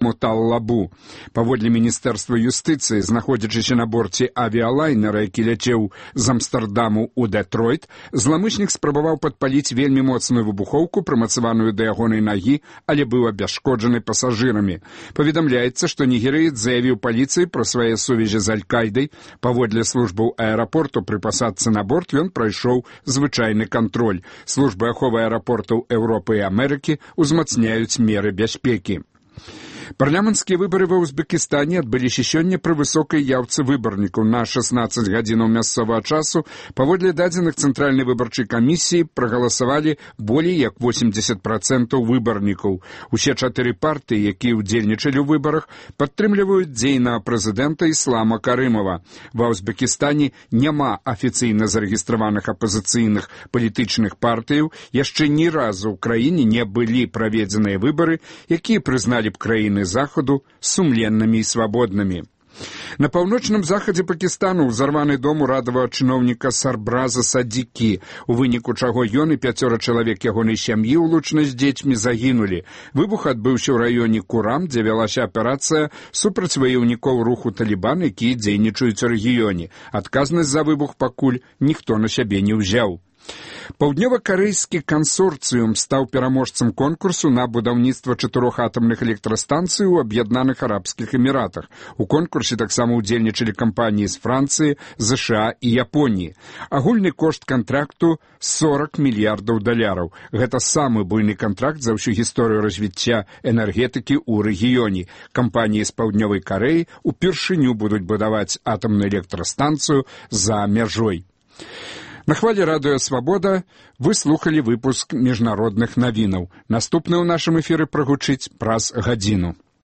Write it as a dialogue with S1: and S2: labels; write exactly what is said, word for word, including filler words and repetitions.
S1: Моталлабу. Паводле Міністэрства юстыцыі, знаходзячыся на борце авіялайнера, які ляцеў з Амстэрдаму ў Дэтройт, зламычнік спрабаваў падпаліць вельмі моцную выбухоўку, прымацаваную да ягонай нагі, але быў абясшкоджаны пасажырамі. Паведамляецца, што нігерыец заявіў паліцыі пра свае сувязі з Аль-Кайдай. Паводле службаў аэрапорту пры пасадцы на борт ён прайшоў звычайны кантроль. Службы аховы аэрапортаў Еўропы і Амерыкі узмацняюць меры бяспекі. Парламенцкія выбары ва Узбекістане адбыліся сёння пры высокай яўцы выбарнікаў. На шаснаццаць гадзінаў мясцовага часу паводле дадзеных Цэнтральнай выбарчай камісіі прагаласавалі болей як восемьдесят процентаў выбарнікаў. Усе чатыры партыі, якія ўдзельнічалі ў выбарах, падтрымліваюць дзейнага прэзідэнта Іслама Карымова. Ва Узбекістане няма афіцыйна зарэгістраваных апазіцыйных палітычных партыяў. Яшчэ ні разу ў краіне не былі праведзеныя выбары, якія прызналі б краіны Захаду сумленнымі і свабоднымі. На паўночным захадзе Пакістану ўзарваны дом урадавага чыноўніка Сарбраза Садзікі, у выніку чаго ён і пяцёра чалавек ягонай сям'і, улучна з дзецьмі, загінулі. Выбух адбыўся ў раёне Курам, дзе вялася аперацыя супраць ваяўнікоў руху Талібан, якія дзейнічаюць у рэгіёне. Адказнасць за выбух пакуль ніхто на сябе не ўзяў. Паўднёва-карэйскі кансорцыум стаў пераможцам конкурсу на будаўніцтва чатырох атамных электрастанцый у Аб'яднаных Арабскіх Эміратах. У конкурсе таксама ўдзельнічалі кампаніі з Францыі, ЗША і Японіі. Агульны кошт кантракту сорок мільярдаў даляраў. Гэта самы буйны кантракт за ўсю гісторыю развіцця энергетыкі ў рэгіёне. Кампаніі з Паўднёвай Карэі упершыню будуць будаваць атамную электрастанцыю за мяжой. На хвалі радыё «Свабода» вы слухалі выпуск міжнародных навінаў. Наступны ў нашым эфіры прагучыць праз гадзіну.